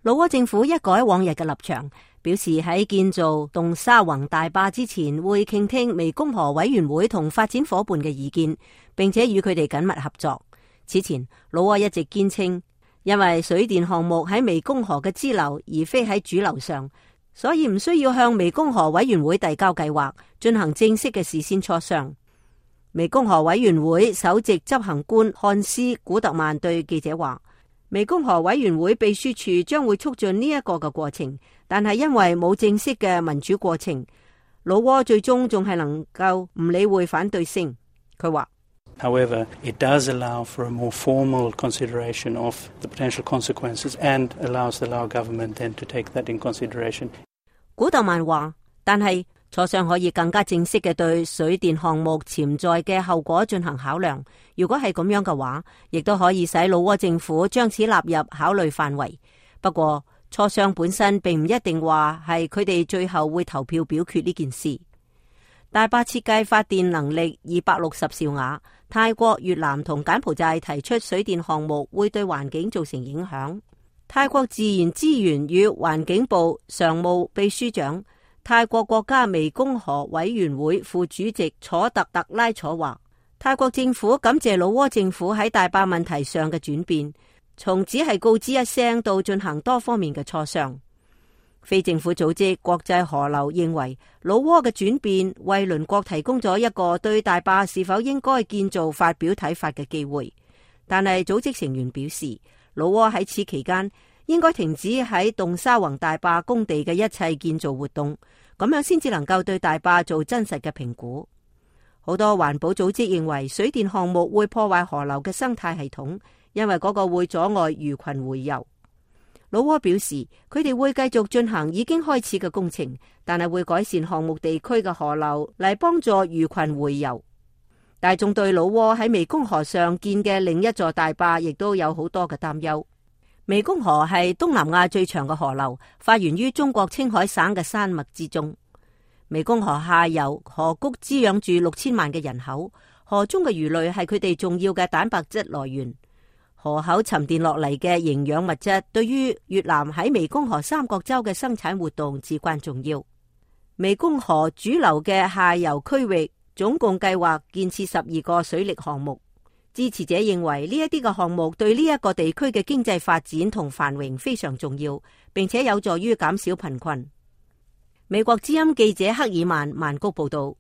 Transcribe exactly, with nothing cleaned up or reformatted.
老撾政府一改往日嘅立場，表示喺建造洞沙宏大壩之前會傾聽湄公河委員會同發展夥伴嘅意見，並且與佢哋緊密合作。此前，老撾一直堅稱，因為水電項目喺湄公河嘅支流而非喺主流上，所以唔需要向湄公河委員會遞交計劃，進行正式嘅事先磋商。湄公河委員會首席執行官漢斯古特曼對記者話，湄公河委員會秘書處將會促進呢一個嘅過程，但係因為冇正式嘅民主過程，老撾最終仲係能夠唔理會反對聲。佢話 However, it does allow for a more formal consideration of the potential consequences and allows the Lao government then to take that in consideration. 古特曼話，但係磋商可以更加正式嘅對水電項目潛在嘅後果進行考量。如果係咁樣嘅話，亦都可以使老撾政府將此納入考慮範圍。不過，磋商本身並唔一定話係佢哋最後會投票表決呢件事。大壩設計發電能力二百六十兆瓦，泰國、越南同柬埔寨提出水電項目會對環境造成影響。泰國自然資源與環境部常務秘書長、泰國國家湄公河委員會副主席楚特特拉楚話，泰國政府感謝老撾政府喺大壩問題上嘅轉變，從只係告知一聲到進行多方面嘅磋商。非政府組織國際河流認為，老撾嘅轉變為鄰國提供咗一個對大壩是否應該建造發表睇法嘅機會。但係組織成員表示，老撾喺此期間應該停止喺洞沙宏大壩工地嘅一切建造活動，咁樣先至能夠對大壩做真實嘅評估。好多環保組織認為，水電項目會破壞河流嘅生態系統，因為嗰個會阻礙魚群洄游。老撾表示，佢哋會繼續進行已經開始嘅工程，但係會改善項目地區嘅河流嚟幫助魚群洄游。大眾對老撾喺湄公河上建嘅另一座大壩亦都有好多嘅擔憂。湄公河係東南亞最長嘅河流，發源於中國青海省嘅山脈之中。湄公河下游河谷滋養住六千萬嘅人口，河中嘅魚類係佢哋重要嘅蛋白質來源。河口沉澱落嚟嘅營養物質，對於越南喺湄公河三角洲嘅生產活動至關重要。湄公河主流嘅下游區域總共計劃建設十二個水力項目。支持者認為呢一啲嘅項目對呢一個地區嘅經濟發展同繁榮非常重要，並且有助於減少貧困。美國之音記者克爾曼曼谷報道。